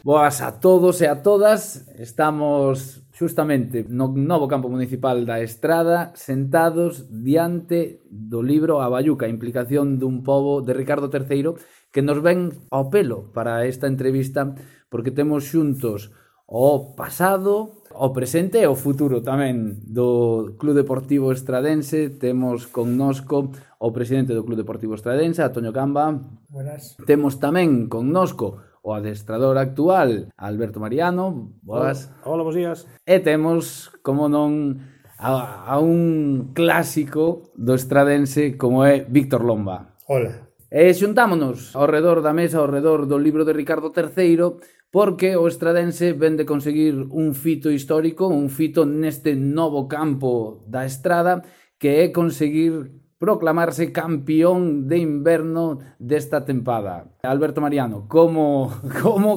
Boas a todos e a todas. Estamos xustamente no novo campo municipal da Estrada, sentados diante do libro A Bayuca, a implicación dun pobo de Ricardo III, que nos ven ao pelo para esta entrevista, porque temos xuntos o pasado, o presente e o futuro tamén do Club Deportivo Estradense. Temos connosco o presidente do Club Deportivo Estradense, Antonio Camba. Buenas. Temos tamén connosco o adestrador actual, Alberto Mariano. Boas. Hola, bons días. E temos, como non, a un clásico do estradense como é Víctor Lomba. Hola. E xuntámonos ao redor da mesa, ao redor do libro de Ricardo III, porque o estradense ven de conseguir un fito histórico, un fito neste novo campo da Estrada, que é conseguir proclamarse campeón de inverno desta tempada. Alberto Mariano, como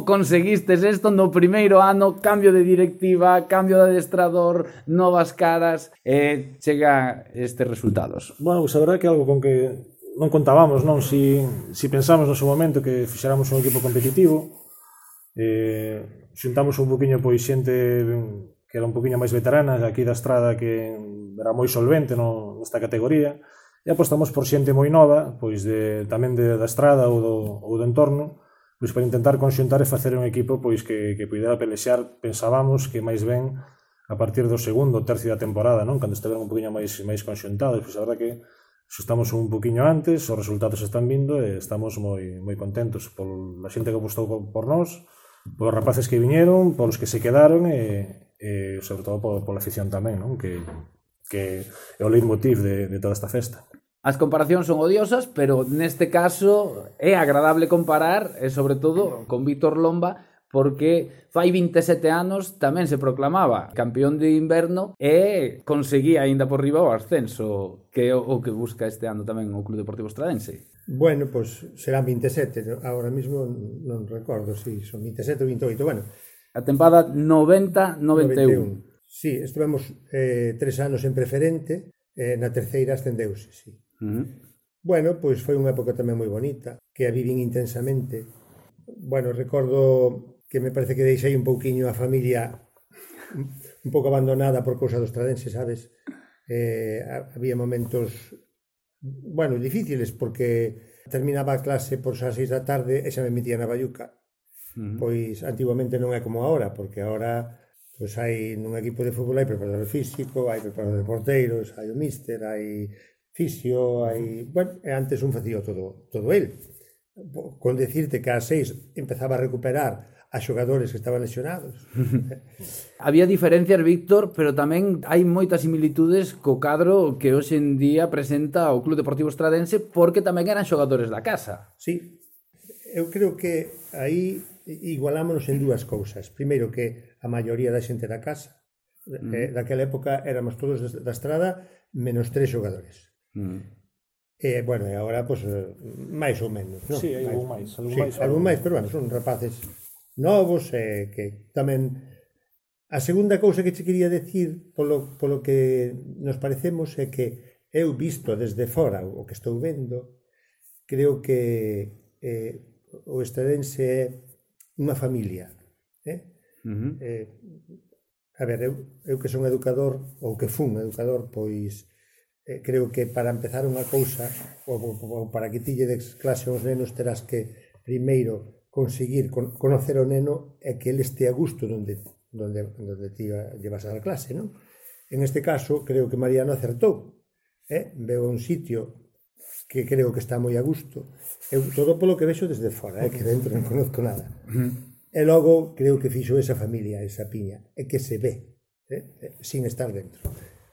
conseguistes isto no primeiro ano? Cambio de directiva, cambio de adestrador, novas caras, e chega estes resultados. Bueno, pues a verdade que é algo con que non contábamos, non? Si pensamos no seu momento que fixéramos un equipo competitivo, xuntamos un poquinho pois xente que era un poquinho máis veterana aquí da Estrada, que era moi solvente nesta categoría, e apostamos por xente moi nova, pois tamén da Estrada ou do entorno, pois para intentar conxuntar e facer un equipo pois que pudera pelexar. Pensábamos que máis ben a partir do segundo ou tercio da temporada, non? Cando estiveron un poquinho máis conxuntados. Pois a verdade que estamos un poquinho antes, os resultados están vindo e estamos moi contentos pola xente que apostou por nós, polos rapaces que viñeron, polos que se quedaron e sobre todo pola afición tamén, non? Que é o leitmotiv de toda esta festa. As comparacións son odiosas, pero neste caso é agradable comparar, e sobre todo con Víctor Lomba, porque fai 27 anos tamén se proclamaba campeón de inverno e conseguía aínda por riba o ascenso, que é o que busca este ano tamén o Club Deportivo Estradense. Bueno, pues serán 27, ahora mismo non recordo si son 27 ou 28, bueno. A tempada 90-91. Sí, estivemos 3 anos en preferente, na terceira ascendeuse, sí. Bueno, pois foi unha época tamén moi bonita, que a vivín intensamente. Bueno, recordo que me parece que deixei un pouquiño a familia un pouco abandonada por cousa dos estradenses, sabes? Había momentos, bueno, difíciles, porque terminaba a clase por as 6 da tarde e xa me metía na Bayuca. Pois antiguamente non é como agora, porque agora pois hai nun equipo de fútbol hai preparador físico, hai preparador de porteiros, hai o míster, hai fisio, hai... Bueno, e antes un facía todo el. Con decirte que ás 6 empezaba a recuperar a xogadores que estaban lesionados. Había diferencias, Víctor, pero tamén hai moitas similitudes co cadro que hoxe en día presenta o Club Deportivo Estradense, porque tamén eran xogadores da casa. Sí, eu creo que aí igualámonos en dúas cousas. Primeiro, que a maioría da xente da casa, daquela época éramos todos da Estrada menos 3 xogadores. Bueno, e agora, pois, máis ou menos, non? Sí, hai algún máis. Algún máis, pero bueno, son rapaces novos, que tamén... A segunda cousa que che quería decir, polo que nos parecemos, é que eu visto desde fora o que estou vendo, creo que o estradense é unha familia. A ver, eu que son educador, ou que fun educador, pois creo que para empezar unha cousa, ou para que ti lle des clase aos nenos, terás que primeiro conseguir conocer o neno e que ele este a gusto onde ti lle vas a dar clase, non? En este caso, creo que Mariano acertou. Veo un sitio que creo que está moi a gusto. Eu todo polo que vexo desde fora, que dentro non conozco nada. E logo creo que fixo esa familia, esa piña, e que se ve, sin estar dentro.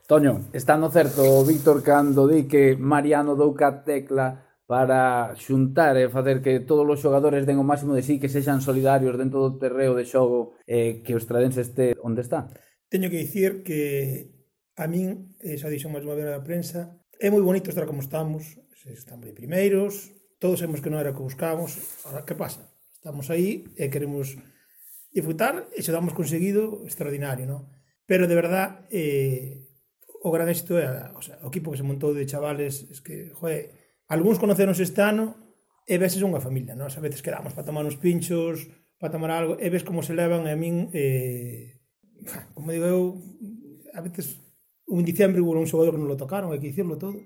Toño, está no certo, Víctor, cando di que Mariano dou ca tecla para xuntar e facer que todos os xogadores den o máximo de sí, que sexan solidarios dentro do terreo de xogo, que o estradense este onde está? Teño que dicir que a min, xa dixo máis unha vez na prensa, é moi bonito estar como estamos de primeiros, todos sabemos que non era o que buscábamos. Ahora, que pasa? Estamos aí e queremos disfrutar e xa damos conseguido extraordinario, non? Pero de verdad, o gran éxito é o equipo que se montou de chavales, es que, algúns conoceronse este ano e veses unha familia, non? A veces quedamos para tomar uns pinchos, para tomar algo, e ves como se levan, e a min, como digo eu, a veces, un diciembre hubo un xogador que non lo tocaron, hai que dicirlo todo.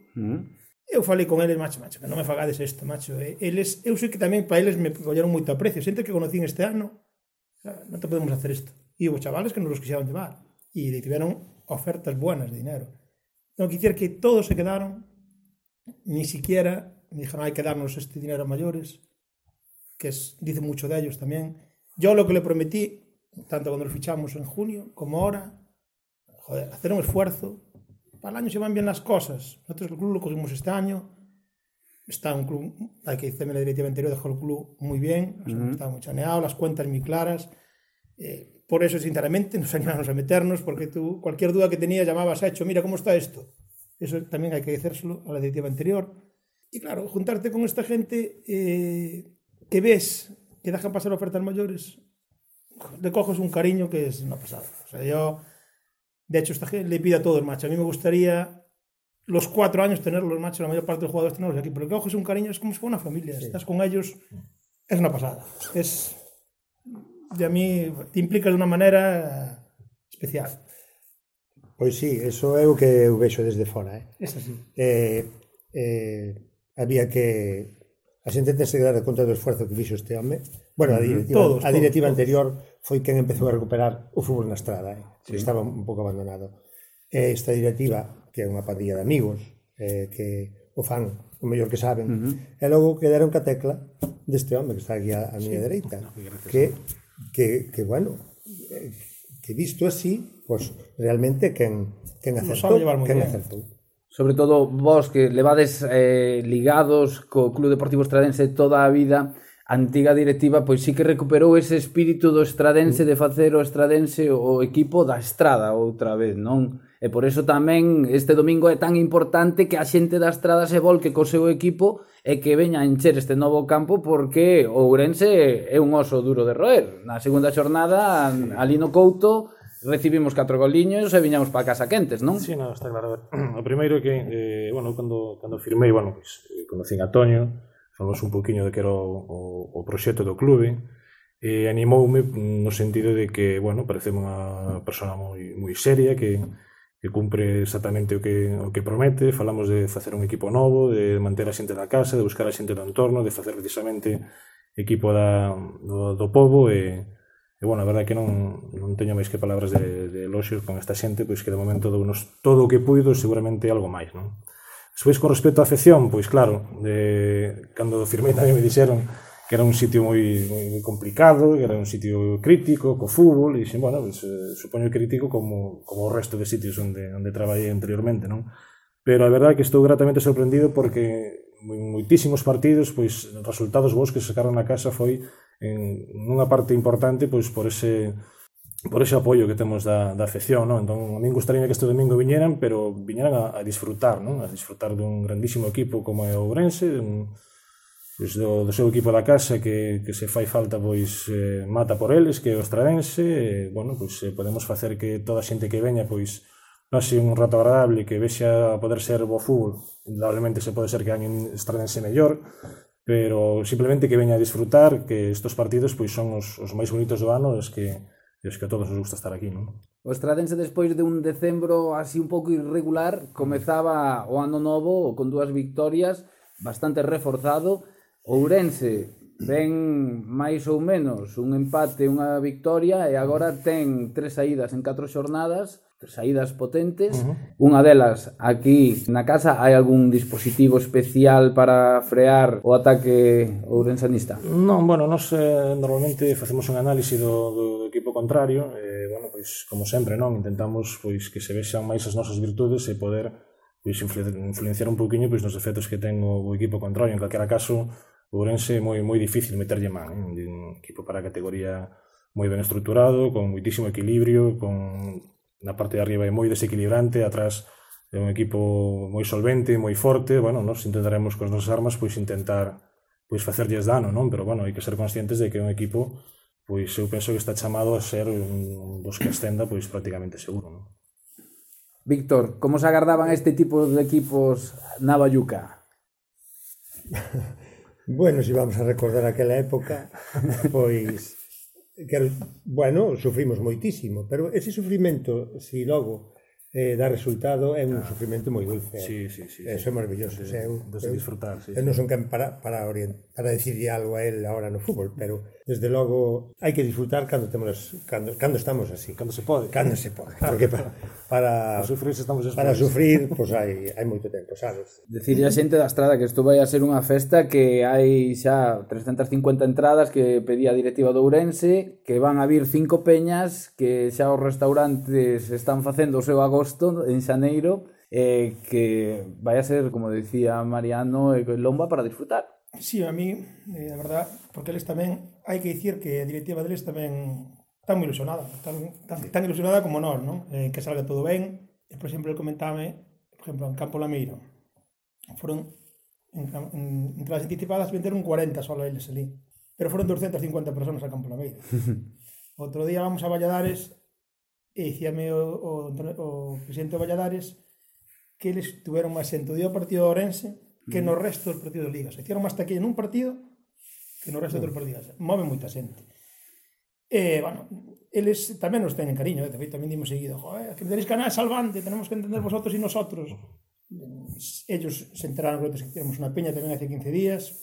Eu falei con eles, macho, que non me fagades isto, macho. Eles, eu sei que tamén para eles me colleron moito aprecio. Xente que conocín este ano, non te podemos hacer isto. E hubo chavales que nos los quixeron llevar. E tiveron ofertas buenas de dinero. Tengo que dicir que todos se quedaron, ni siquiera me dijeron, hai que darnos este dinero a mayores, que dice mucho de ellos tamén. Yo lo que le prometí, tanto cuando lo fichamos en junio, como ahora, joder, hacer un esfuerzo. Para el año se van bien las cosas. Nosotros el club lo cogimos este año. Está un club, hay que decirme, la directiva anterior dejó el club muy bien, está muy chaneado, las cuentas muy claras. Por eso, sinceramente, nos animamos a meternos, porque tú, cualquier duda que tenías, llamabas a Hecho, mira cómo está esto. Eso también hay que decírselo a la directiva anterior. Y claro, juntarte con esta gente que ves que dejan pasar ofertas mayores, le coges un cariño que es una pasada. O sea, yo... De hecho, esta gente le pide a todos, macho. A mí me gustaría los 4 años tenerlos, macho, la mayor parte de los jugadores tenerlos aquí. Pero que coges un cariño, es como si fuera una familia. Sí. Estás con ellos, es una pasada. De a mí te implicas de una manera especial. Pois sí, eso é o que eu vexo desde fora. Es así. Había que... A xente ten que dar conta do esforzo que fixo este home. Bueno, a directiva anterior foi quen empezou a recuperar o fútbol na estrada, que estaba un pouco abandonado. Esta directiva, que é unha pandilla de amigos, que o fan o mellor que saben, e logo quedaron ca tecla deste home que está aquí a miña dereita, que bueno, que visto así, pues realmente quen acertou. Sobre todo vos que levades ligados co Club Deportivo Estradense toda a vida, a antiga directiva pois sí que recuperou ese espírito do estradense de facer o Estradense o equipo da Estrada outra vez, non? E por eso tamén este domingo é tan importante que a xente da Estrada se volque co seu equipo e que veña a encher este novo campo, porque o Ourense é un oso duro de roer. Na segunda xornada, ali no Couto, recibimos 4 goliños e viñamos para casa quentes, non? Sí, no, está claro. O primeiro que, bueno, cando firmei, bueno, pues, conocín a Toño, falamos un poquinho de que era o proxecto do clube, e animoume no sentido de que, bueno, parece unha persona moi seria, que cumpre exactamente o que promete. Falamos de facer un equipo novo, de manter a xente da casa, de buscar a xente do entorno, de facer precisamente equipo do pobo, e bueno, a verdade que non teño máis que palabras de eloxios con esta xente, pois que de momento dounos todo o que puido, seguramente algo máis, non? Despois, con respecto á afección, pois claro, cando firmei tamén me dixeron que era un sitio moi complicado, que era un sitio crítico, co fútbol, e bueno, pues, supoño crítico como o resto de sitios onde traballei anteriormente, non? Pero a verdade que estou gratamente sorprendido porque moitísimos partidos, pois resultados bons que sacaron na casa foi nunha parte importante pois por ese apoio que temos da afección, non? Entón, a min gustaría que este domingo viñeran, pero viñeran a disfrutar, non? A disfrutar dun grandísimo equipo como é o Ourense, pois do seu equipo da casa que se fai falta, pois mata por eles, que é o Estradense, bueno, pois podemos facer que toda a xente que veña, pois pase un rato agradable, que vexa poder ser bo fútbol. Indudablemente se pode ser que alguén Estradense mellor, pero simplemente que veña a disfrutar, que estos partidos pois son os máis bonitos do ano, e que a todos nos gusta estar aquí, non? O Estradense, despois de un decembro así un pouco irregular, comezaba o ano novo con 2 victorias, bastante reforzado. O Ourense ven máis ou menos un empate, unha victoria, e agora ten 3 saídas en 4 xornadas, saídas potentes. Unha delas, aquí na casa, hai algún dispositivo especial para frear o ataque ourensanista? Non, bueno, nos normalmente facemos un análise do equipo contrario, bueno, pois como sempre, non, intentamos pois que se vexan máis as nosas virtudes e poder pois influenciar un poquinho pois nos efectos que ten o equipo contrario. En calquera caso, o Ourense é moi difícil meterlle man, un equipo para a categoría moi ben estruturado, con moitísimo equilibrio, con na parte de arriba é moi desequilibrante, atrás é un equipo moi solvente, moi forte. Bueno, nos intentaremos con as nosas armas pois intentar pois facerlles dano, non? Pero bueno, hai que ser conscientes de que é un equipo, pois eu penso que está chamado a ser un dos que ascenda pois prácticamente seguro, non? Víctor, como se agardaban este tipo de equipos na Bayuca? Bueno, se vamos a recordar aquela época, pois Bueno, sufrimos moitísimo, pero ese sufrimento, si logo dá resultado, é un sufrimento moi dulce. Sí. Eso é maravilloso. De disfrutar, sí. Eu non son quen para decirle algo a él ahora no fútbol, pero desde logo hai que disfrutar cando estamos así. Cando se pode. Porque para sufrir estamos despois. Para sufrir, pois hai moito tempo, sabes? Decirle a xente da Estrada que isto vai a ser unha festa que hai xa 350 entradas que pedía a directiva de Ourense, que van a vir 5 peñas, que xa os restaurantes están facendo o seu agosto en xaneiro, que vai a ser, como decía Mariano, lomba para disfrutar. Sí, a mí, a verdad, porque eles tamén, hai que dicir que a directiva deles tamén está moi ilusionada, tan ilusionada como nós, non? Que salga todo ben. E, por exemplo, ele comentame, por exemplo, en Campo Lameiro, foron en entradas anticipadas, venderon 40 solo eles ali, pero foron 250 personas a Campo Lameiro. Outro día vamos a Valladares e dicíame o presidente de Valladares que eles tuveron máis xente o día do partido de Ourense que no resto dos partidos de ligas. Hicieron máis taquilla nun partido que no resto dos partidos. Move moita xente. Bueno, eles tamén nos teñen cariño, de feito tamén dimos seguido, que tenéis canal salvante, tenemos que entender vosotros e nosotros. Ellos se enteraron que tenemos unha peña tamén hace 15 días,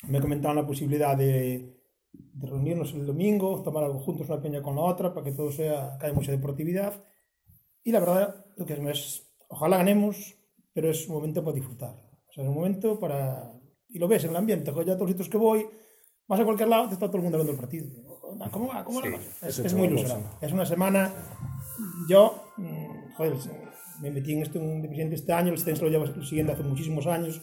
me comentaron a posibilidade de reunirnos el domingo, tomar algo juntos una peña con la otra para que todo sea, que haya mucha deportividad, y la verdad lo que es ojalá ganemos, pero es un momento para disfrutar, o sea, es un momento para, y lo ves en el ambiente, ya a todos los sitios que voy, vas a cualquier lado, te está todo el mundo hablando del partido, ¿cómo va? Es muy ilusionante, es una semana, yo me metí en esto de presidente este año, el Stenso lo llevo siguiendo hace muchísimos años,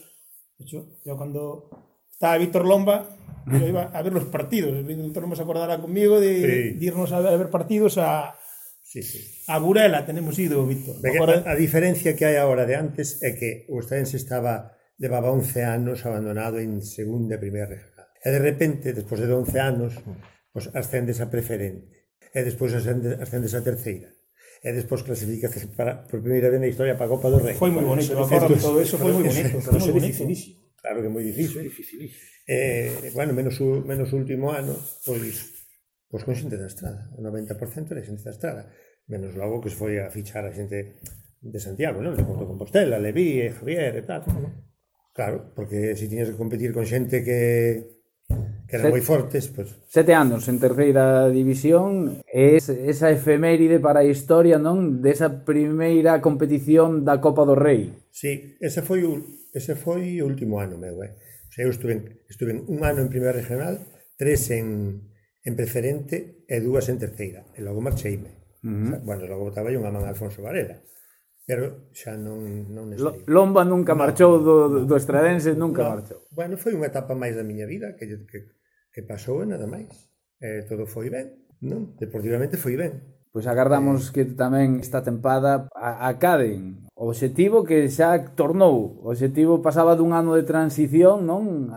de hecho, yo cuando estaba Víctor Lomba, yo iba a ver los partidos. Víctor Lomba se acordará conmigo de irnos a ver partidos a Burela. Tenemos ido, Víctor. A diferencia que hai agora de antes é que o Stense levaba 11 anos abandonado en segunda e primeira regional. E de repente, despois de 11 anos, pues, ascendes a preferente. E despois ascendes a terceira. E despois clasificas por primeira vez na historia para a Copa do Rei. Foi moi bonito, acordo todo eso, foi moi bonito. Pero é dificilísimo. Claro que é moi difícil. Bueno, menos o último ano, pois con xente da Estrada. O 90% era xente da Estrada. Menos logo que se foi a fichar a xente de Santiago, non? De Compostela, Leví, Javier e tal. Claro, porque se tiñas que competir con xente que eran moi fortes, pois... 7 anos en terceira división, esa efeméride para a historia, non? Desa primeira competición da Copa do Rei. Sí, ese foi o último ano meu, O sea, eu estuve un ano en primeira regional, 3 en preferente e 2 en terceira. E logo marcheime. Bueno, logo botaba unha man a Alfonso Varela. Pero xa non necesario. Lomba nunca marchou do Estradense, nunca marchou. Bueno, foi unha etapa máis da miña vida que pasou e nada máis. Todo foi ben, non? Deportivamente foi ben. Pois agardamos que tamén esta tempada acaden o obxectivo que xa tornou. O obxectivo pasaba dun ano de transición, non?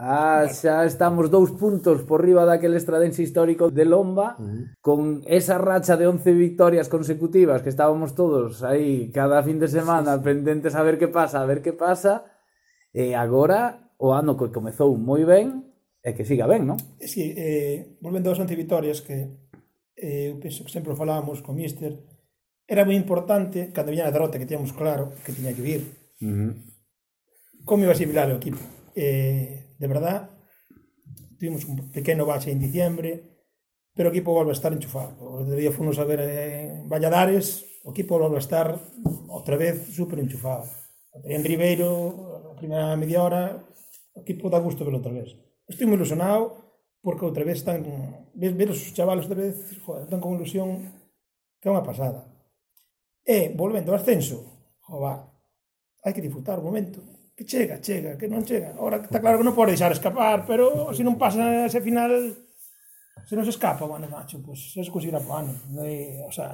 Xa estamos 2 puntos por riba daquele Estradense histórico de Lomba, con esa racha de 11 victorias consecutivas que estábamos todos aí cada fin de semana pendentes a ver que pasa, e agora o ano que comezou moi ben e que siga ben, non? Sí, volvendo aos 11 victorias que eu penso que sempre falábamos con Míster, era moi importante, cando viña a derrota que tíamos claro que tiña que vir, como iba a asimilar o equipo. De verdad, tuvimos un pequeno bache en diciembre, pero o equipo volve a estar enchufado. O día fomos a ver en Valladares, o equipo volve a estar outra vez super enchufado. En Ribeiro, a primeira media hora, o equipo dá gusto verlo outra vez. Estou moi ilusionado, porque outra vez están, ver os chavales outra vez, joder, están con ilusión que é unha pasada. E, volvendo ao ascenso, hai que disfrutar o momento, que chega, que non chega. Ahora está claro que non pode deixar escapar, pero se non pasa ese final, se non se escapa, bueno, macho, pues se conseguirá po ano. O sea,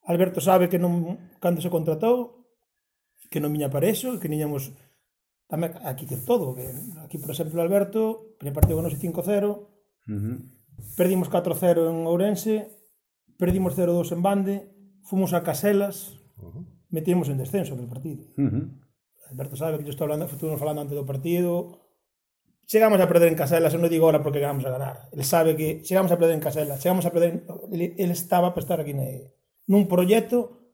Alberto sabe que non, cando se contratou, que non viña para eso, que niñamos tamén aquí que todo, que aquí, por exemplo, Alberto, primer partido con nos 5-0, perdimos 4-0 en Ourense, perdimos 0-2 en Bande, fomos a Caselas, metimos en descenso del partido. Alberto sabe que yo estuvimos falando antes do partido, chegamos a perder en Caselas, eu non digo ahora porque vamos a ganar. Ele sabe que chegamos a perder en Caselas, chegamos a perder... Ele estaba para estar aquí nun proxecto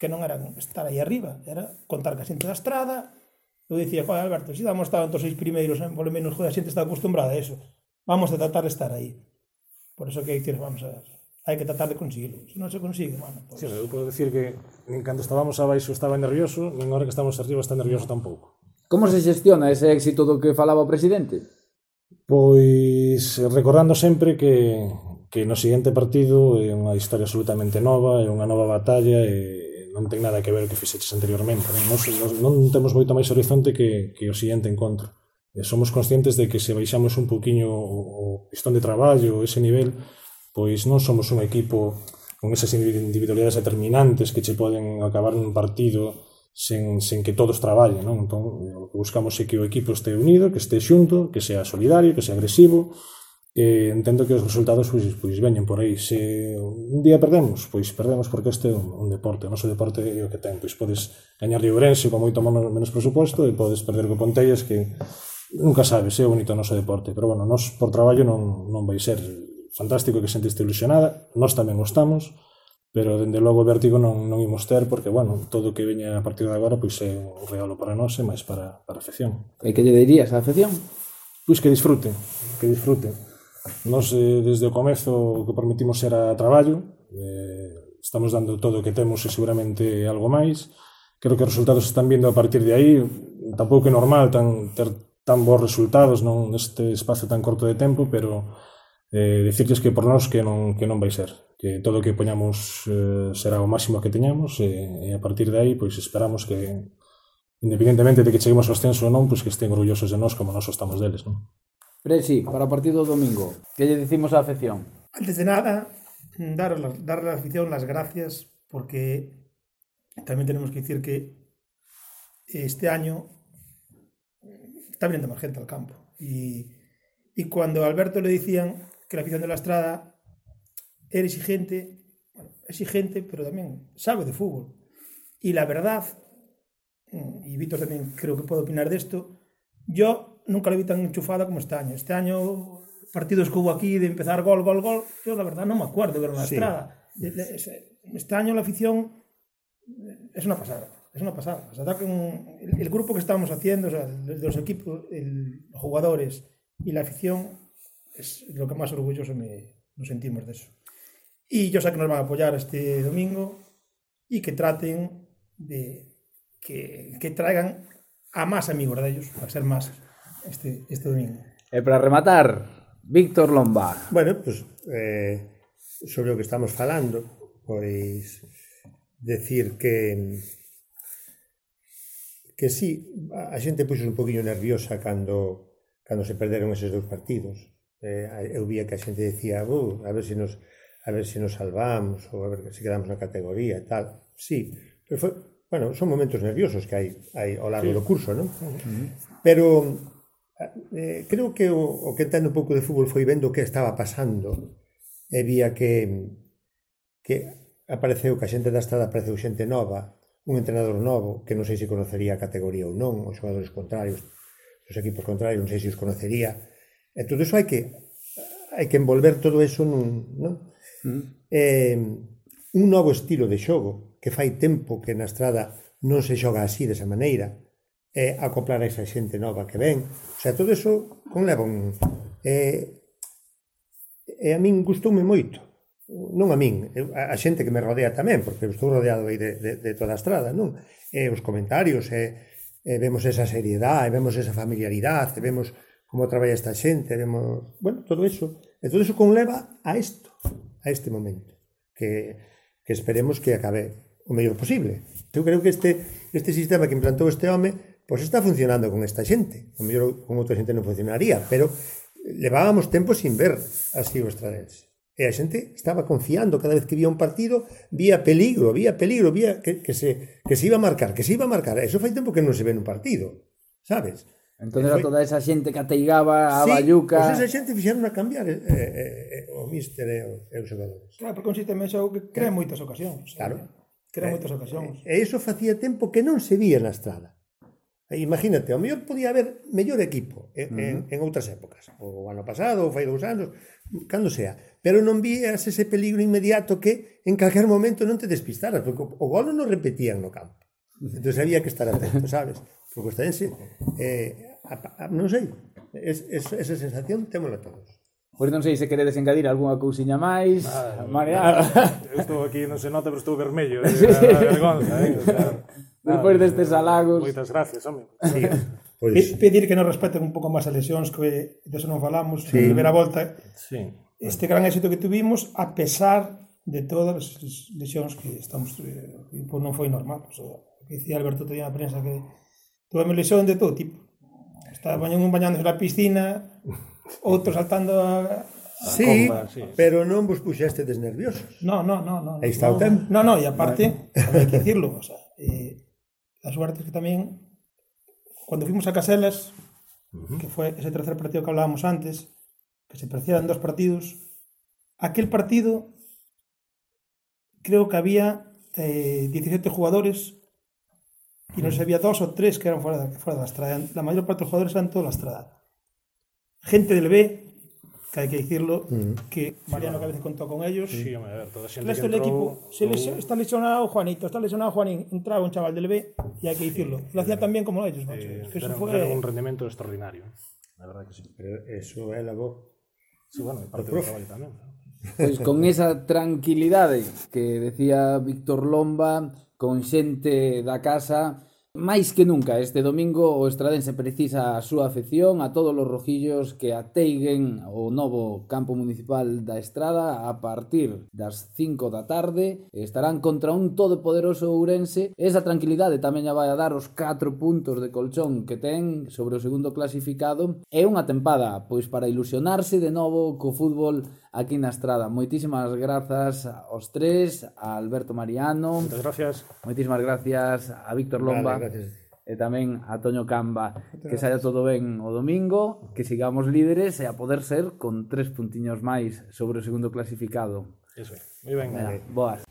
que non era estar aí arriba, era contar ca xente da estrada. Eu dicía, joder, Alberto, se damos estado entre os 6 primeiros, polo menos, joder, a xente está acostumbrada a eso. Vamos a tratar de estar aí. Por eso que hai que ir, vamos a ver. Hai que tratar de conseguirlo. Se non se consigue, bueno, pues... Sí, eu podo decir que nin cando estábamos abaixo estaba nervioso, nin agora que estamos arriba está nervioso tampouco. Como se xestiona ese éxito do que falaba o presidente? Pois recordando sempre que no seguinte partido é unha historia absolutamente nova, é unha nova batalla e non ten nada que ver o que fixeches anteriormente. Non temos moito máis horizonte que o seguinte encontro. Somos conscientes de que se baixamos un poquinho o pistón de traballo, ese nivel, pois non somos un equipo con esas individualidades determinantes que che poden acabar nun partido sen que todos traballen, non? Entón, o que buscamos é que o equipo este unido, que este xunto, que sea solidario, que sea agresivo, e entendo que os resultados pois veñen por aí. Se un día perdemos, pois perdemos porque este é un deporte, o noso deporte é o que ten, pois podes gañar de Ourense con moito menos presuposto e podes perder co Pontellas, que nunca sabes, é bonito o noso deporte, pero bueno, nós por traballo non vai ser fantástico que a xente este ilusionada, nós tamén o estamos, pero dende logo o vértigo non imos ter, porque, bueno, todo o que veña a partir de agora pois é un regalo para nós e máis para a afección. E que lle dirías á afección? Pois que disfruten, que disfruten. Nós, desde o comezo, o que permitimos era traballo, estamos dando todo o que temos e seguramente algo máis. Creo que os resultados están vindo a partir de aí, tampouco é normal ter tan bons resultados neste espazo tan corto de tempo, pero dicirles que por nós que non vai ser, que todo o que poñamos será o máximo que teñamos e a partir de aí pois esperamos que, independentemente de que cheguemos ao ascenso ou non, pois que estén orgullosos de nós como nós estamos deles, non? Presi, para o partido do domingo, que lle dicimos á afección? Antes de nada, dar a la afición las gracias, porque también tenemos que decir que este año está viniendo más gente al campo y cuando a Alberto le decían que la afición de la Estrada era exigente, pero también sabe de fútbol. Y la verdad, y Víctor también creo que puede opinar de esto, yo nunca la vi tan enchufada como este año. Este año, partidos que hubo aquí de empezar gol, yo la verdad no me acuerdo de ver la Estrada. Este año la afición es una pasada. Es una pasada. O sea, el grupo que estamos haciendo, o sea, de los equipos, los jugadores y la afición, es lo que más orgulloso nos sentimos de eso. Y yo sé que nos van a apoyar este domingo y que traten de que traigan a más amigos de ellos, para ser más este domingo. E para rematar, Víctor Lomba. Bueno, pues sobre o que estamos falando, pois decir que sí, a xente puxo un poquinho nerviosa cando se perderon eses dous partidos. Eu vía que a xente decía, a ver se nos salvamos ou a ver se quedamos na categoría e tal. Sí, pero son momentos nerviosos que hai ao largo do curso, non? Pero creo que o que entendo un pouco de fútbol foi vendo o que estaba pasando e vía que apareceu que a xente da Estrada apareceu xente nova, un entrenador novo que non sei se conocería a categoría ou non, os xogadores contrarios, os equipos contrarios, non sei se os conocería. E todo iso hai que envolver todo iso non? Un novo estilo de xogo que fai tempo que na Estrada non se xoga así, desa maneira, e acoplar a esa xente nova que ven. O sea, todo iso conleva un... E a min gustoume moito. Non a min, a xente que me rodea tamén, porque estou rodeado aí de toda a Estrada, non? E os comentarios, vemos esa seriedade, vemos esa familiaridade, vemos como traballa esta xente, vemos, bueno, todo iso. E todo iso conleva a isto, a este momento, que esperemos que acabe o mellor posible. Eu creo que este sistema que implantou este home, pois está funcionando con esta xente. O mellor con outra xente non funcionaría, pero levábamos tempo sin ver así o estradense. E a xente estaba confiando cada vez que vía un partido, vía peligro, vía que se iba a marcar, Eso fai tempo que non se ve nun partido, sabes? Entón era toda esa xente que ateigaba a Bayuca... Sí, pois esa xente fixeron a cambiar o míster e os xogadores. Claro, porque un sistema é que crea moitas ocasións. Claro. Crea moitas ocasións. E iso facía tempo que non se vía na Estrada. Imagínate, ao mellor podía haber mellor equipo en outras épocas, o ano pasado, ou fai 2 anos, cando sea, pero non vías ese peligro inmediato que en calquer momento non te despistaras, porque o gol non repetían no campo. Entón había que estar atento, sabes? Porque o Estradense, non sei, esa sensación témola todos. Pois non sei se queredes engadir algunha cousiña máis. Mariano. Eu estou aquí, non se nota, pero estou vermello. Vergonza, Despois destes halagos. Moitas gracias, home. Sí, pois... Pedir que nos respeten un pouco máis as lesións, que deso non falamos, Sí. primeira volta. Sí. Este gran éxito que tuvimos, a pesar de todas as lesións que estamos... Pues non foi normal. O sea, que dicía Alberto todavía na prensa que tuvemos lesión de todo tipo. Estaban un bañándose na piscina, outro saltando a... Sí, comba, sí. pero non vos puxestes nerviosos. No. Aí está o tempo. No, e aparte, hai que dicirlo, o sea, a suerte es que tamén, cuando fuimos a Caselas, que fue ese tercer partido que hablábamos antes, que se parecían 2 partidos, aquel partido creo que había 17 jugadores y no sé, había 2 o 3 que eran fuera de la Estrada. La mayor parte de los jugadores eran toda la Estrada. Gente del B, que hai que dicirlo, que Mariano que a veces contó con ellos. Sí, a ver, toda a xente El resto que del entrou... equipo, está lesionado Juanito, está lesionado Juanín, entraba un chaval del B, y hay que decirlo. Lo hacía tan bien como ellos, macho. Que eso fue... Deron un rendemento extraordinario. La verdad que sí. Pero eso é labor. Sí, bueno, parte do traballo tamén. Pois con esa tranquilidade que decía Víctor Lomba, con xente da casa, máis que nunca este domingo o Estradense precisa a súa afección, a todos os rojillos que ateiguen o novo campo municipal da Estrada a partir das 5 da tarde. Estarán contra un todopoderoso Ourense. Esa tranquilidade tamén a vai a dar os 4 puntos de colchón que ten sobre o segundo clasificado. É unha tempada pois para ilusionarse de novo co fútbol aquí na Estrada. Moitísimas grazas aos tres, a Alberto Mariano. Moitas gracias. Moitísimas gracias a Víctor Lomba. Vale, gracias. E tamén a Toño Camba. Que saia todo ben o domingo, que sigamos líderes e a poder ser con 3 puntiños máis sobre o segundo clasificado. Eso é. Moi ben. Boas.